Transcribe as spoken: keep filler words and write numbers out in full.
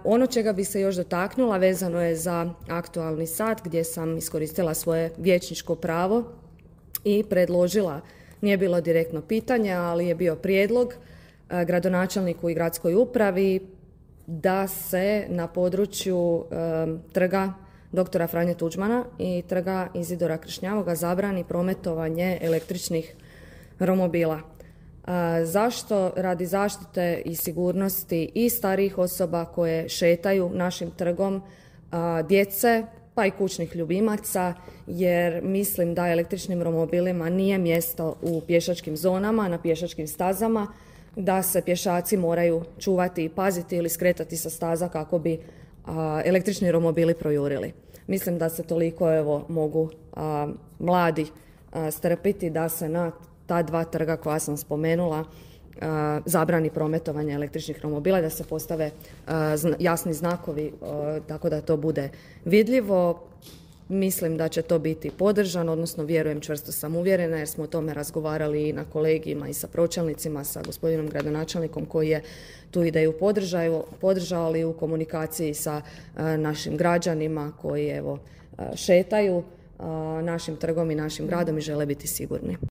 Ono čega bi se još dotaknula vezano je za aktualni sat gdje sam iskoristila svoje vijećničko pravo i predložila, nije bilo direktno pitanje, ali je bio prijedlog gradonačelniku i gradskoj upravi da se na području trga doktora Franje Tuđmana i trga Izidora Kršnjavoga zabrani prometovanje električnih romobila. Zašto? Radi zaštite i sigurnosti i starijih osoba koje šetaju našim trgom, djece pa i kućnih ljubimaca, jer mislim da električnim romobilima nije mjesto u pješačkim zonama, na pješačkim stazama, da se pješaci moraju čuvati i paziti ili skretati sa staza kako bi a, električni romobili projurili. Mislim da se toliko evo mogu a, mladi a, strpiti da se na ta dva trga koja sam spomenula a, zabrani prometovanje električnih romobila, da se postave a, zna, jasni znakovi a, tako da to bude vidljivo. Mislim da će to biti podržano, odnosno vjerujem, čvrsto sam uvjerena jer smo o tome razgovarali i na kolegijima i sa pročelnicima, sa gospodinom gradonačelnikom koji je tu ideju podržao, podržao ali u komunikaciji sa a, našim građanima koji evo a, šetaju a, našim trgom i našim gradom i žele biti sigurni.